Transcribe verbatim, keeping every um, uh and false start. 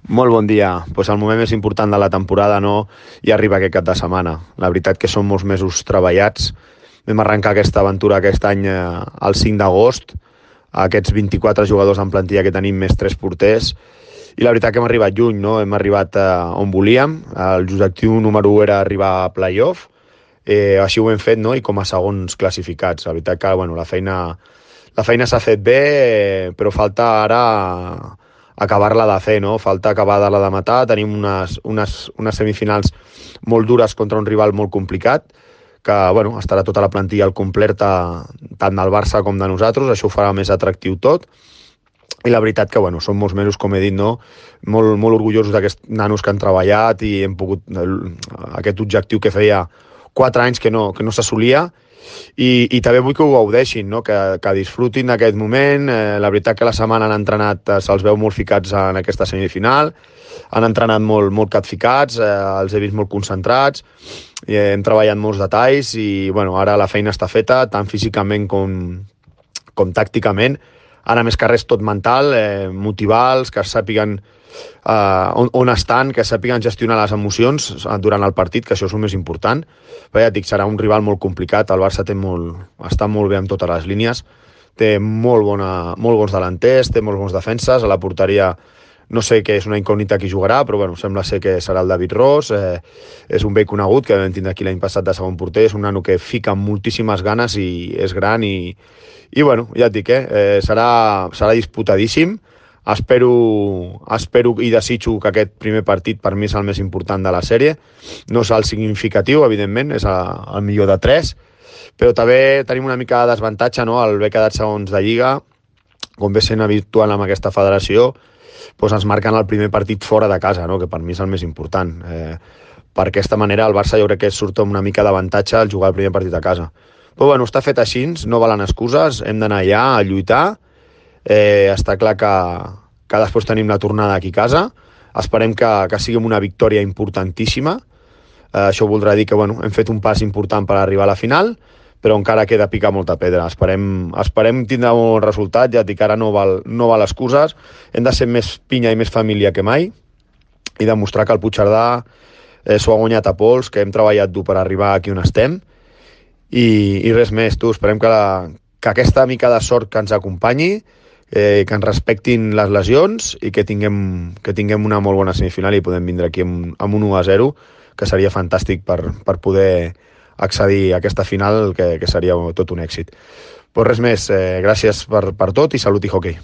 Molt bon dia. Pues el moment més important de la temporada no i arriba aquest cap de setmana. La veritat que són molts mesos treballats. Vam arrencar aquesta aventura aquest any eh, el cinc d'agost, aquests vint-i-quatre jugadors en plantilla que tenim més tres porters, i la veritat que hem arribat lluny, no? Hem arribat eh, on volíem. L'objectiu número u era arribar a playoff, eh, així ho hem fet, no? I com a segons classificats. La veritat que bueno, la feina, la feina s'ha fet bé, eh, però falta ara acabar-la de fer, no? Falta acabar-la de matar. Tenim unes, unes, unes semifinals molt dures contra un rival molt complicat, que bueno, estarà tota la plantilla al complerta, tant del Barça com de nosaltres. Això ho farà més atractiu tot. I la veritat que bueno, són molts mesos, com he dit, no? molt, molt orgullosos d'aquests nanos que han treballat i hem pogut aquest objectiu que feia quatre anys que no, que no s'assolia. I, i també vull que ho gaudeixin, no? que, que disfrutin d'aquest moment. Eh, la veritat que la setmana han entrenat, eh, se'ls veu molt ficats en aquesta semifinal, han entrenat molt, molt catficats, eh, els he vist molt concentrats, i hem treballat molts detalls i bueno, ara la feina està feta, tant físicament com, com tàcticament. Ara més que res tot mental, eh, motivar-los, que sàpiguen Uh, on, on estan, que sàpiguen gestionar les emocions durant el partit, que això és el més important. Però ja et dic, serà un rival molt complicat. El Barça té molt, està molt bé amb totes les línies, té molt, bona, molt bons delanters, té molt bons defenses. A la porteria no sé què és una incògnita qui jugarà, però bueno, sembla ser que serà el David Ros. Eh, és un vell conegut que vam tindre aquí l'any passat de segon porter. És un nano que fica moltíssimes ganes i és gran i, i bueno, ja et dic, eh, eh, serà, serà disputadíssim. Espero, espero i desitjo que aquest primer partit per mi és el més important de la sèrie. No és el significatiu, evidentment, és el millor de tres, però també tenim una mica de desavantatge, no? El haver quedat segons de Lliga, com ve sent habitual amb aquesta federació, doncs ens marquen el primer partit fora de casa, no? Que per mi és el més important. Eh, per aquesta manera el Barça jo crec que surt amb una mica d'avantatge al jugar el primer partit a casa. Però bueno, està fet així, no valen excuses, hem d'anar allà a lluitar. Eh, està clar que, que després tenim la tornada aquí a casa. Esperem que, que sigui una victòria importantíssima. Eh, això voldrà dir que bueno, hem fet un pas important per arribar a la final, però encara queda picar molta pedra. Esperem, esperem tindre un bon resultat, ja dic, ara no val, no val excuses. Hem de ser més pinya i més família que mai i demostrar que el Puigcerdà eh, s'ho ha guanyat a pols, que hem treballat dur per arribar aquí on estem i, i res més. Tu, esperem que, la, que aquesta mica de sort que ens acompanyi, Eh, que ens respectin les lesions i que tinguem, que tinguem una molt bona semifinal i podem vindre aquí amb, amb un u a zero, que seria fantàstic per, per poder accedir a aquesta final, que, que seria tot un èxit. Pues res més, eh, gràcies per, per tot i salut i hoquei.